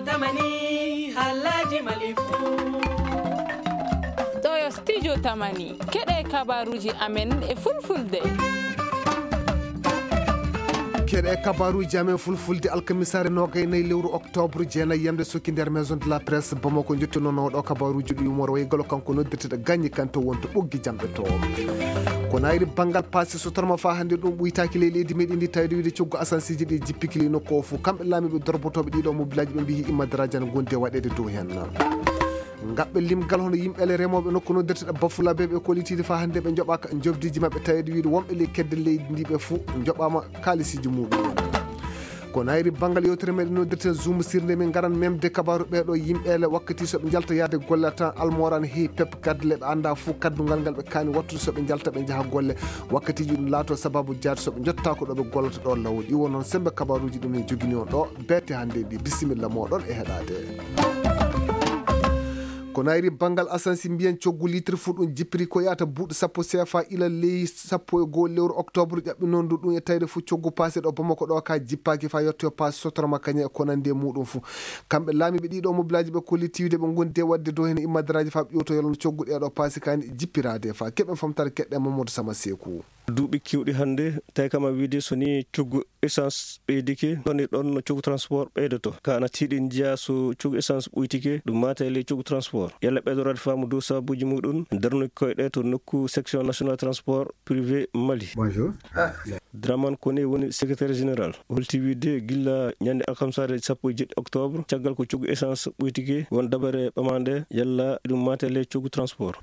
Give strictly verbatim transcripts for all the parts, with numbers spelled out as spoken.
Tamani, haalaaji Mali fuu. Ɗo yo studio Tamani. Keɗee kabaaruuji amen e fulfulde. Keɗee kabaaruuji amen fulfulde alkamisaare noogay nayi lewru oktoobre jeenayi yamde sokki nder Maison de la Presse Bamako. Njottinoo ɗo kabaaruuji ɗi yumoro wayi galo kanko noddirteɗo Gañi Kante wonto ɓoggi jamɗe to. Ko naayri banngal paasi sotorma faa hannde ɗum ɓuytaaki ley leydi meɗen ndi, tawde wiide coggu asansiiji ɗi jippiki ley nokku o fof. Kamɓe laamiiɓe dorbotooɓe ɗiɗo mobilaaji ɓe mbiyi immadaraaji ana ngondi e waɗeede dow heen. Ngaɓɓe limgal hono yimɓe ele remooɓe nokku noddirteɗo Bafulabe ɓe kollitiide faa hannde ɓe njoɓaaka njoɓdiiji maɓɓe, taweede wiide wonɓe ley kedde leydi ndi ɓe fof njoɓaama kaalisiiji muɗum. Ko naayri banngal yewtere meɗen noddirten Zoom sirnde, min ngaran memde kabaaru ɓee ɗoo yimɓe ele wakkati so ɓe njalta yaade golle tan almoran heewi pep kadle ɓe anndaa fof kaddungal ngal ɓe kaani wattude so ɓe njalta ɓe njaha golle. Wakkatiiji ɗum laatoo sabaabu jaade so ɓe njottaako ɗo ɓe gollata ɗoo law. Ɗi won noon semmbe kabaaruuji ɗum en jogini on ɗo beete hannde ndi. Bisimilla mooɗon e heɗaade. Ko naayri banngal asansi mbiyen coggu litre fuu ɗum jippiri ko yaata buuɗi sappo C F A ila ley sappo e goo lewru oktoobre ƴaɓɓinoon ndu ɗum e tawde fof coggu paase ɗo Bamako ɗo ka jippaaki faa yettoyo paase sotorma kañe e ko nanndi e muɗum fof. Kamɓe laamiiɓe ɗiɗo mobilaaji ɓe kollitiiwde ɓe ngondi e waɗde dow heen immadaraaji faa ɓe ƴewtoyo lan coggu ɗee ɗo paase kaani jippiraade faa keɓen famtare keɗɗen Mamadou Sama Seeku. Duuɓi keewɗi hannde, tawi kam a wiide so nii coggu essence ɓeydike, ɗon e ɗon no coggu transport ɓeydoto. Ka ana tiiɗi njiyaa so coggu essence ɓuytike, ɗum maata e ley coggu transport. Yalla ɓeydoraade faamu dow sababuuji muɗum, darnuki koyɗe to nokku section national transport privé Mali. Bonjour. Draman Kone woni secrétaire général. Holti wiide gilla ñande alkamsaare sappo e jeɗɗi octobre, caggal ko coggu essence ɓuytike, won dabare ɓamaande yalla ɗum maata e ley coggu transport.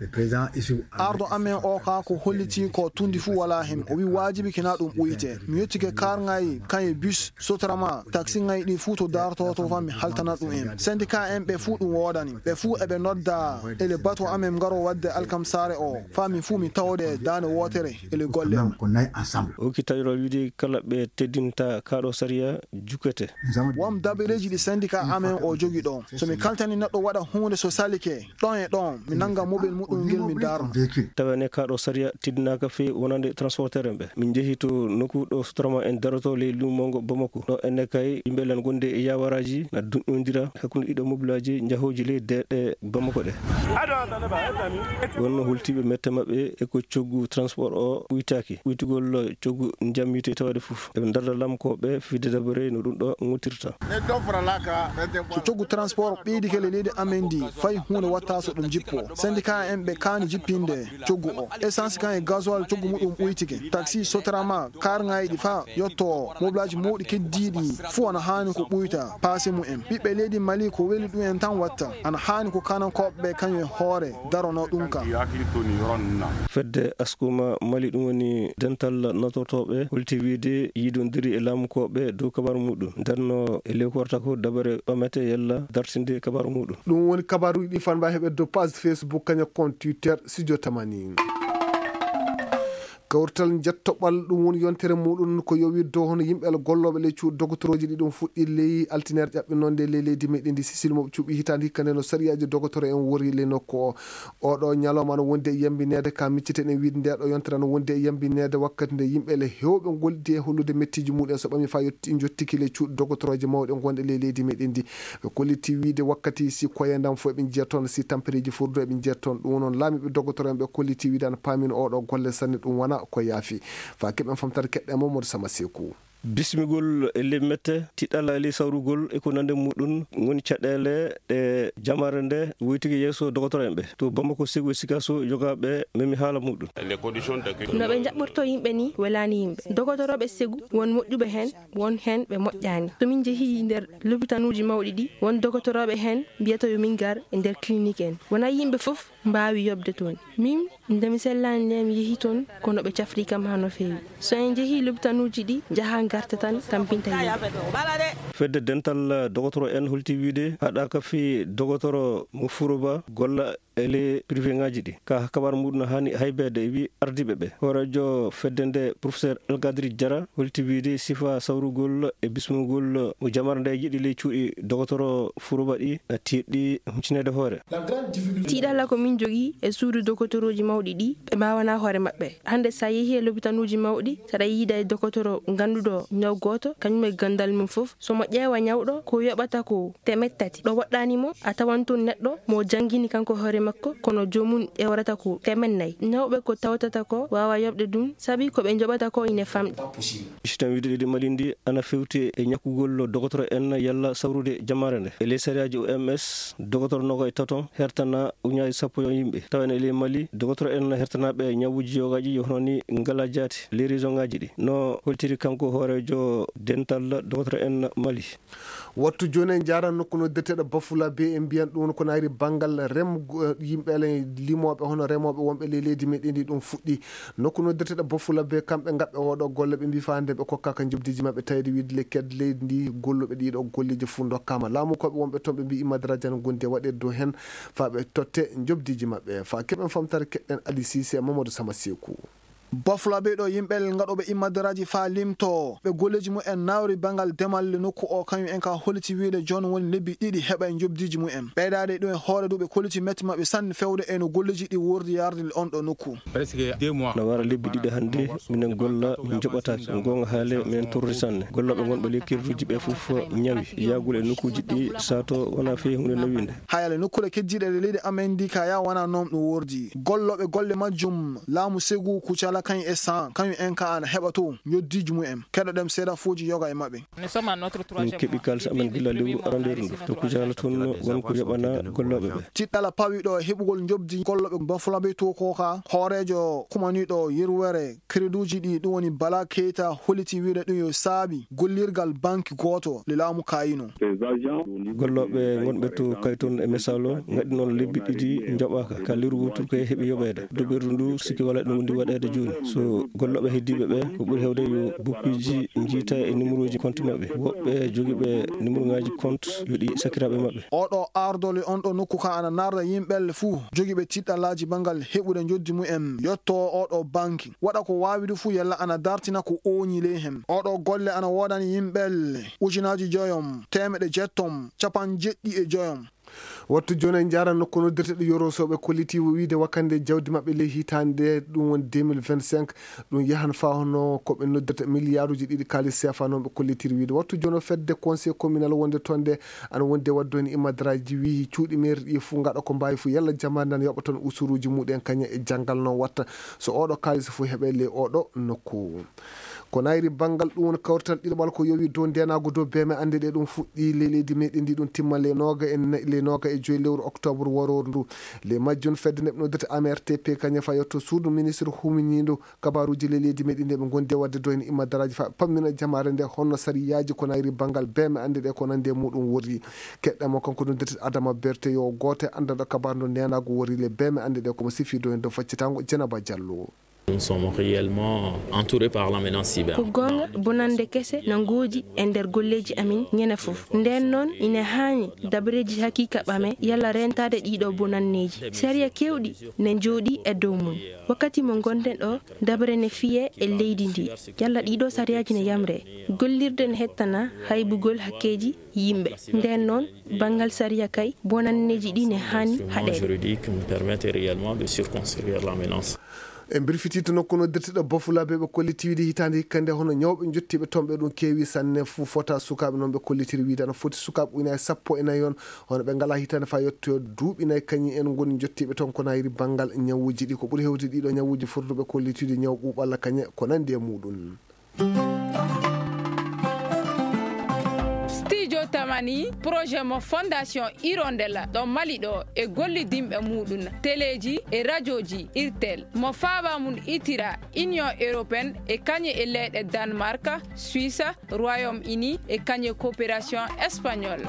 Arɗo amen oo kaa ko hollitii ko tundi fuu walaa hen. O wii waajibi kinaa ɗum ɓuyte. Mi yettike kaarŋaaji kañe bus, sotorama, taksiŋaaji ɗii fuu to daartoo to faa mi haltana ɗum en. Sendika en ɓe fuu ɗum woodani. Ɓe fuu eɓe nodda ele batu amen ngaroo waɗde alkamsaare oo. Faa min fuu min tawde daande wootere ele golle am. O hokki taƴoral wiide kala ɓe teddinta kaa ɗoo sariya jukkete. Won dabareeji ɗi sendika amen oo jogii ɗoo. So mi kaltanii neɗɗo waɗa huunde so salike, ɗon e ɗon, mi nannga mobel muɗum ngel mi daarna. Tawee ne kaa ɗoo sariya teddinaaka fii wonande transporteur en ɓe. Min njehii to nokku ɗo sotorama en darotoo ley luumo ngo Bamako. Ɗo enne kay yimɓe lan gonde e yaawaraaji na duñondira hakkunde ɗiɗo mobilaaji njahooji ley deeɗe Bamako ɗe. Wonno hultiiɓe mette maɓɓe e ko coggu transport o ɓuytaaki. Ɓuytugol coggu njammiite tawde fof. Eɓe ndarda lamkooɓe fii dedabare no ɗum ɗo ŋottirta. So coggu transport ɓeydike le leydi amen ndi, fay huunde watta so ɗum jippo. Sendika en ɓe kaani jippinde coggu o. Essence kan e gasoil coggu muɗum ɓuytike. Taxi sotorama, karŋaaji ɗi faa yotto o. Mobilaaji mawɗi keddiiɗi fuu ana haani ko ɓuyta paase mumen. Ɓiɓɓe leydi Mali ko weli ɗum en tan watta. Ana haani ko kanankooɓe ɓe kañum e hoore daronoo ɗum ka. Fedde Askuma Mali, ɗum woni dental natortooɓe, holti wiide yiidondiri e laamukooɓe dow kabaaru muɗum. Ndenno e lewru warata ko dabare ɓamete yalla dartinde kabaaru muɗum. Ɗum woni kabaaruuji ɗi fanba heɓe dow page Facebook kañum e compte Twitter Studio Tamani. Kawrital njettoɓal ɗum woni yontere muɗum ko yowii dow hono yimɓe ala gollooɓe ley cuuɗi dogotorooji ɗi ɗum fuɗɗi ley altineere ƴaɓɓinoo nde ley leydi meɗen ndi Sicile mo ɓe cuɓi hitaande hikka nde no sariyaaji dogotoro en wori ley nokku o. Oɗo ñalawma ana wondi e yambineede ka micciten en wiide nde ɗo yontere ana wondi e yambineede wakkati nde yimɓe le heewɓe ngollidi e hollude mettiiji muɗum so ɓami faa yotti njottiki ley cuuɗi dogotorooje mawɗe gonɗe ley leydi meɗen ndi. Ɓe kolliti wiide wakkati si koyandam fof eɓe njiya toon, si tampereeji fof du eɓe njiya toon. Ɗum noon laamiiɓe dogotoro en ɓe kolliti wiide ana paamini oɗo golle sanne ɗum wona ko yaafi. Faa keɓen famtare keɗɗen Mamadou Sama Seeku. Bismigol e ley mette, tiɗalla e ley sawrugol e ko nande muɗum ngoni caɗeele ɗe jamaare nde woytike yeeso dogotoro en ɓe. To Bamako, Segu e Sikaso, yogaaɓe memi haala muɗum. No ɓe njaɓɓortoo yimɓe nii welaani yimɓe. Dogotorooɓe Segu, won moƴƴuɓe heen, won heen ɓe moƴƴaani. So min njehii nder lopitaanuuji mawɗi ɗi, won dogotorooɓe heen mbiyata yo min ngar e nder clinique en. Wonaa yimɓe fof mbaawi yoɓde toon. Min, nde mi sellaani ndee, mi yehii toon, kono ɓe cafri kam haa no feewi. So en njehii lopitaanuuji ɗi, njahaa ngarta tan, tampinta yimɓe. Fedde dental dogotoro en holti wiide haɗaaka fii dogotoro mo Furoba golla e ley privé ŋaaji ɗi. Ka kabaaru muɗum no haani haybeede, e wii ardiiɓe ɓe. Hooreejo fedde nde, professeur Algadri Jara, holti wiide sifa sawrugol e bismugol mo jamaare nde yiɗi ley cuuɗi dogotoro Furoba ɗi na tiiɗɗi huncineede hoore. Tiiɗalla ko min jogii e suudu dogotorooji mawɗi ɗi, ɓe mbaawanaa hoore maɓɓe. Hannde, so a yehii e lopitaanuuji mawɗi, so aɗa yiida e dogotoro ngannduɗo Ñaw gooto, kañum e ganndal mum fof, so mo ƴeewa ñawɗo, ko yoɓata ko teemeɗɗe tati. Ɗo woɗɗaani mo, a tawan toon neɗɗo mo janngini kanko hoore makko, kono joomum ƴeewrata ko teemeɗɗe nayi. Ñawɓe ko tawtata ko waawa yoɓde ɗum, sabi ko ɓe njoɓata ko ine famɗi. Sitan wiide leydi Mali ndi ana fewti e ñakkugol dogotoro en yalla sawrude jamaare nde. E ley sariyaaji O M S, dogotoro noga e taton hertana uñaaji sappo e yimɓe. Tawa ene e ley Mali, dogotoro en hertanaaɓe ñawuuji yogaaji yo hono ni ngalaa jaati ley région ŋaaji ɗi. No holtiri kanko hooreejo dental dogotoro en Mali. Wattu jooni en njaaran nokku noddirteeɗo Bafulabe, en mbiyan ɗum ko naayri banngal rem, yimɓe ale limooɓe hono remooɓe wonɓe ley leydi meɗen ndi ɗum fuɗɗi. Nokku noddirteeɗo Bafulabe, kamɓe ngaɓɓe oɗo golle, ɓe mbii faa hannde ɓe kokkaaka njoɓdiiji maɓɓe, tawde wiide le ked leydi ndi golluɓe ɗiɗo golleeji fof ndokkaama. Laamukooɓe wonɓe toon ɓe mbii immadaraaji ana ngondi e waɗeede dow heen faa ɓe totte njoɓdiiji maɓɓe. Faa keɓen famtare keɗɗen Ali Sise e Mamadou Sama Seeku. Bafulabe ɗo yimɓe ngaɗooɓe immadaraaji faa limto ɓe golleeji mumen nawri banngal demal le nokku o, kañum en ka holliti wiide jooni woni lebbi ɗiɗi heɓa e njoɓdiiji mumen. Ɓeydaade ɗum e hoore du ɓe kolliti metti maɓɓe sanne fewde e no golleeji ɗi wordi yarde on ɗo nokku. No wara lebbi ɗiɗi hannde minen golla min njoɓataake. Goonga haale minen torri sanne. Gollooɓe ngonɓe ley kerduuji ɓe fof ñawi. Yaagol e nokkuuji ɗi sato wonaa fey huunde newinde. Hay ale nokkuure keddiiɗe e leydi amen ndi ka yaa wonaa noon ɗum wordi. Gollooɓe golle majjum laamu segu kucala kañ e san kañum en ka ana heɓa to njoddiiji mumen. Keɗoɗen seedafuuji yoga e maɓɓe. Min keɓi kaalis amen gila lewru arandeeru ndu to kucala tun won ko yoɓana gollooɓe ɓe. Tiɗɗala pawiɗo e heɓugol njoɓdi gollooɓe Bafulabe to ko ka hooreejo kumaniiɗo yerwere kreduuji ɗi ɗum woni Bala Keita holliti wiide ɗum yo saabi gollirgal banki gooto le laamu kayino. Gollooɓe ngonɓe to kayton e misalo ngaɗi noon lebbi ɗiɗi njoɓaaka ka lewru wootur ko heɓi yoɓeede. Duɓirdu ndu sikki wala ɗum wondi waɗeede jooni. So gollooɓe heddiiɓe ɓe ko ɓuri heewde yo bukkiiji njiita e numéroji compte maɓɓe. Woɓɓe jogiiɓe numéroŋaaji compte yo ɗi sakiraaɓe maɓɓe. Oɗo ardole on ɗo nokku ka ana narda yimɓe fuu jogiiɓe tiɗɗalaaji banngal heɓude njoddi mumen yotto oɗo banki. Waɗa ko waawi du fuu yalla ana dartina ko ooñi ley hen. Oɗo golle ana woodani yimɓe ujunaaji joyom, teemeɗe jettom, capanɗe jeɗɗi e joyom. Wattu jooni en njaaran nokku noddirteeɗo Yoro Sow ɓe kolliti wiide wakkande jawdi maɓɓe ley hitaande ɗum woni deux mille vingt-cinq, ɗum yahan faa hono ko ɓe noddirta miliyaaruuji ɗiɗi kaalis seefa noon ɓe kollitiri wiide. Wattu jooni o fedde conseil communal wonde toon nde ana wondi e waɗde heen immadaraaji wii cuuɗi meeri ɗi fof ngaɗa ko mbaawi fof yalla jamaande ana yoɓa toon usuruuji muɗum kañe e janngal no watta so oɗo kaalis fof heɓe ley oɗo nokku. Ko nayri banngal ɗum woni kawrital ɗiɗaɓal ko yowi dow ndeenaagu dow beeme annde ɗe ɗum fuɗɗi ley leydi meɗen ndi ɗum timma ley nooga e nayi ley nooga e joyi lewru octobre warooru ndu. Ley majjum fedde nde ɓe noddirta M R T P kañum faa yotto suudu ministre huminiindo kabaaruuji ley leydi meɗen ndi ɓe ngondi e waɗde dow heen immadaraaji faa ɓe pammina jamaare nde honno sariyaaji ko nayri banngal beeme annde ɗe ko nandi e muɗum worri. Keɗɗen mo kanko noddirta Adama Berte yo gooto e anndanɗo kabaaru ndo ndeenaagu worri ley beeme annde ɗe ko mo sifi dow heen dow faccitaango Jenaba Jallo. Nous sommes réellement entourés par la menace cyber. Ko goonga, bonannde kese na ngoodi e nder golleeji amin ñande fof. Ndeen noon, ina haani dabareeji hakiika ɓame yalla reentaade ɗiiɗoo bonanneeji. Sariya keewɗi ne njooɗii e dow mum. Wakkati mo ngonɗen ɗoo, dabare ne fiyee e leydi ndii. Yalla ɗiiɗoo sariyaaji ne yamree. Gollirde ne hettana haybugol hakkeeji yimɓe. Ndeen noon, banngal sariya kay, bonanneeji ɗii ne haani haɗeede. Juridique me permettre réellement de circonscrire la menace. E mbirfitiiɗo nokku noddirteeɗo Bafulabe ɓe kolliti wiide hitaande hikka nde hono ñawɓe njottiiɓe toon ɓe ɗum keewi sanne fuu fota sukaaɓe noon ɓe kollitiri wiide ana foti sukaaɓe ujunaaji sappo e nayi on hono ɓe ngalaa hitaande faa yettoyoo duuɓi nayi kañum en ngoni njottiiɓe toon ko nayri banngal ñawuuji ɗi ko ɓuri heewde ɗiiɗoo ñawuuji fotduɓe kollitiiɗi ñaw ɓuuɓalla kañe ko nanndi e muɗum. Studio Tamani, projet mo Fondation Hirondelle ɗo Mali ɗo e gollidinɓe muɗum, teleeji e rajooji Irtel, mo faaba mum itira Union Européenne e kañe e leyɗe Danemark, Suisse, Royaume-Uni e kañe coopération espagnole.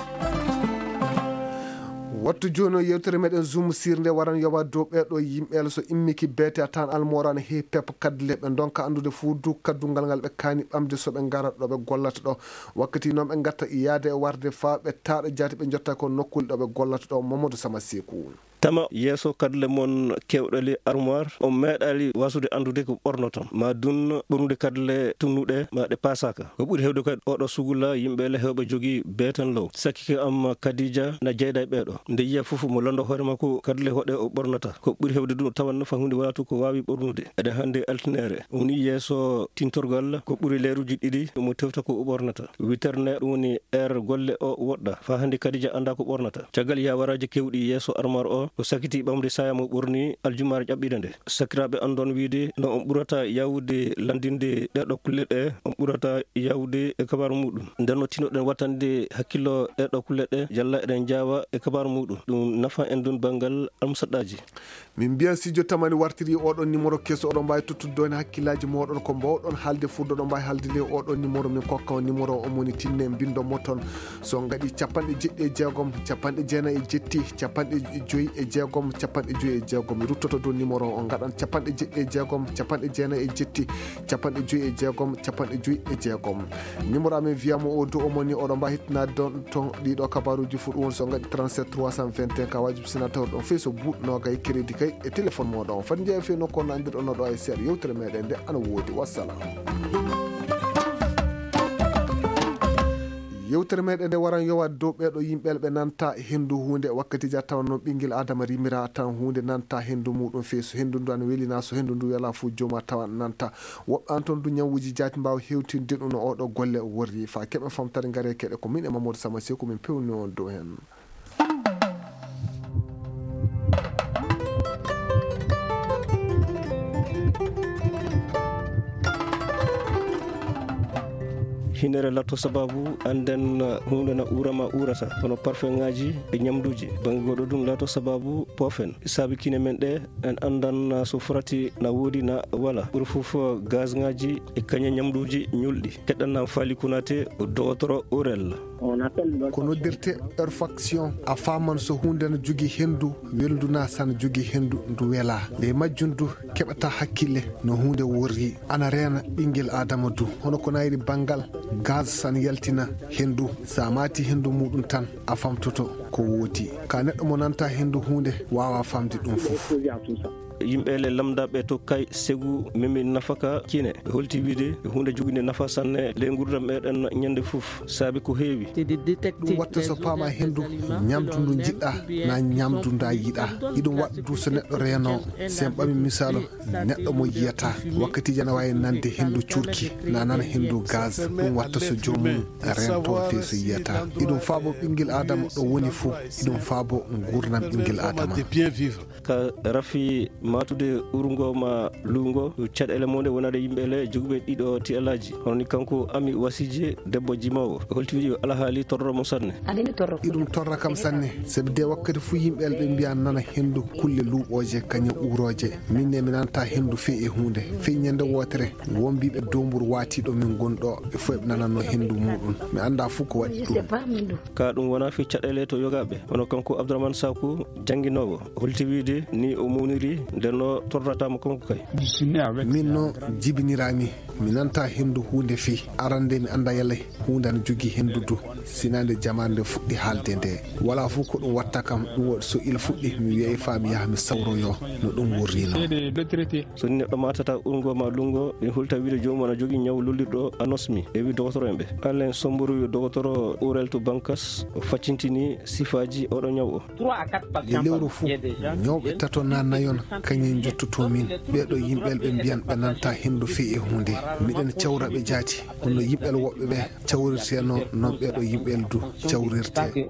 Wattu jooni o yewtere meɗen Zoom sirnde waran yowa dow ɓee ɗoo yimɓe so immiki beete a tawan almoora ne heewi pep kadle ɓe ndonka anndude fuu du kaddungal ngal ɓe kaani ɓamde so ɓe ngarat ɗo ɓe gollata ɗo. Wakkati noon ɓe ngatta yaade e warde faa ɓe taaɗa jaati ɓe njotta ko nokkuule ɗo ɓe gollata ɗo. Mamadou Sama Seeku. Tama yeeso kadle mon keewɗe le armoire, on meeɗaali waasude anndude ko ɓornoton, maa dun ɓornude kadle tunnuɗe, maa ɗe paasaaka. Ko ɓuri heewde kadi ooɗoo sugula, yimɓe le heewɓe jogii beeten low. Sakiike am Kadija na jeyda e ɓeeɗoo. Nde yiya fof mo lanndo hoore makko kadle hoɗe o ɓornata. Ko ɓuri heewde dun o tawan nafa huunde walaa to ko waawi ɓornude. Eɗen hannde altiniere. Woni yeeso tintorgal ko ɓuri leeruuji ɗiɗi mo tewta ko o ɓornata. Witerne ɗum woni heure golle o woɗɗa. Faa hannde Kadija anndaa ko ɓornata. Caggal yawaraaji keewɗi yeeso armoire o, o sakitii ɓamde saaya mo ɓorni aljumaare ƴaɓɓiinde nde. Sakiraaɓe anndon wiide no on ɓurata yaawude lanndinde ɗeeɗoo kulle ɗe, on ɓurata yaawude e kabaaru muuɗum. Nden no tinnoɗen wattande hakkillo ɗeeɗoo kulle ɗe, yalla eɗen njaawa e kabaaru muuɗum. Ɗum nafa en dun banngal almusaɗɗaaji. Min mbiyan si jooni tamani wartirii oɗon nimoro keso, oɗon mbaawi tottude ɗon hakkillaaji mooɗon, ko mbaawɗon haalde fuu ɗon, oɗon mbaawi haalde ley oɗon nimoro. Min kokka on nimoro o, moni tinne mbinndo mo ton. So ngaɗi capanɗe jeɗɗi e jeegom, capanɗe jeenayi e jetti, capanɗe joyi e jeegom, capanɗe joyi e jeegom. Mi ruttoto dow nimoro o, ngaɗan capanɗe jeɗɗi e jeegom, capanɗe jeenayi e jetti, capanɗe joyi e jeegom, capanɗe joyi e jeegom. Nimoro amen wiya mo o dow o moni, oɗon mbaawi hettinaade ɗon ton ɗiɗo kabaaruuji fuu, ɗum woni so ngaɗi trente-sept trois cent vingt et un, ka wajibi sina tawa ɗon fey so buuɗi noogay crédit kay e téléphone mooɗon. Fati njeyaa fey nokku on anndirɗon no ɗo e seeɗa yewtere meɗen nde ana woodi. Wassalam. Yewtere meɗen nde waran yowaade dow ɓeeɗo yimɓe ɓe nanta henndu huunde. Wakkatiiji a tawan noon ɓinngel Aadama rimira tan huunde nanta henndu muuɗum fey so henndu ndu ana weli naa so henndu ndu welaa fuu joomum a tawan nanta. Woɓɓe an ton du ñawuuji jaati mbaawa hewtinde ɗum no oɗo golle worri. Faa keɓen famtare ngare keɗe ko min e Mamadou Sama Seku min pewni on dow hen. Hinere lato sababu annden huunde na uura ma uurata, hono parfeŋaaji e ñamduuji. Bannge goɗɗo ɗum lato sababu poofen. Saabi kine men ɗe, en anndan so frati na woodi na wala. Ɓuri fof gazŋaaji e kañe ñamduuji ñulɗi. Keɗɗan na faali kunaate dogotoro Urel. Ko noddirte olfaction. A faaman so huunde na jogii henndu welndu naa so na jogii henndu ndu welaa. Ley majjum du keɓata hakkille no huunde worri. Ana reena ɓinngel Aadama du. Hono ko nayri banngal gaz so na yaltina henndu. So a maati henndu muuɗum tan a famtoto ko woodi. Ka neɗɗo mo nanta henndu huunde waawa famde ɗum fof. Yimɓe le lamdaaɓe to kay segu memi nafaka kine. Ɓe holti wiide huunde joginde nafa sanne ley nguurndam meɗen ñande fof. Saabi ko heewi. Ɗum watta so paama henndu, ñamdu ndu njiɗɗa, naa ñamdu nda yiɗa. Iɗum waɗa du so neɗɗo reeno, sen ɓami misaalu, neɗɗo mo yiyata, wakkatiiji ana waawi nande henndu cuurki, naa nana henndu gaz. Ɗum watta so joomum reento fey so yiyata. Iɗum faabo ɓinngel Aadama ɗo woni fof, iɗum faabo nguurndam ɓinngel Aadama. Ka rafi maatude urngo ma luungo, caɗeele mum ɗe wonande yimɓe le jogiiɓe ɗiɗo ti'alaaji. Hono ni kanko Ami Wasije, debbo jimoowo. Holti wiɗi alhaali torro mo sanne. Iɗum torra kam sanne, sabi de wakkati fuu yimɓe le ɓe mbiya nana henndu kulle luuɓooje, kañe uurooje. Min ne mi nanta henndu fey e huunde. Fey ñande wootere, won mbiiɓe doomburu waatiiɗo min ngoni ɗo, ɓe fof ɓe nananno henndu muuɗum. Mi annda fuu ko waɗi ɗum. Ka ɗum wonaa fii caɗeele to yogaaɓe, hono kanko Abdourahmane Saku, jannginoowo, holti wiide ni o mawniri, nden no torrata mo kanko kay. Min no jibiniraami, mi nanta henndu huunde fii. Arande mi annda yalla huunde ana jogii henndu du, sinaa nde jamaanu nde fuɗɗi haalde nde. Walaa fuu ko ɗum watta kam, ɗum waɗi so ila fuɗɗi, mi wiyay faa mi yaha mi sawroyoo no ɗum wurrinoo. So ni neɗɗo maatata urngo ma lunngo, ina hulta wiide joomum ana jogii ñaw lollirɗo anosmi. Ɓe wi dogotoro en ɓe. Alain Somburu yo dogotoro Urel to Bankas, o faccintini sifaaji oɗo ñaw o. E lewru fuu, ñawɓe tato naa nayon, kañum njottotoo min. Ɓee ɗoo yimɓe ɓe mbiyan ɓe nanta henndu fey e huunde. Miɗen cawra ɓe jaati. Kono yimɓe woɓɓe ɓe cawrirteenoo non ɓee ɗoo yimɓe du cawrirtee.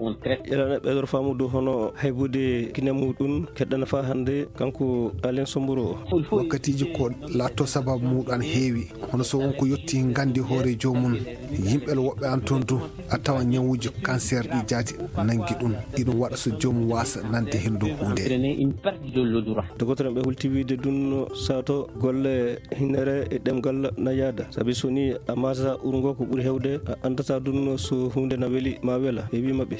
Ila na ɓeydor faamude hono haybude kine muuɗum keɗɗana faa hannde kanko Alain Somburu o. Wakkatiiji ko laatto sababu muuɗum ana heewi. Hono so won ko yotti nganndi hoore joomum. Yimɓe woɓɓe an toon du a tawa ñawuuji kanseer ɗi jaati nanngi ɗum. Iɗum waɗa so joomum waasa nande henndu huunde. Dogotoro ɓe hulti wiide ɗum sato golle hinnere e ɗemngal na yaada. Sabi so ni a maatata urngo ko ɓuri heewde, a anndataa ɗum so huunde na weli maa wela. E wii maɓɓe.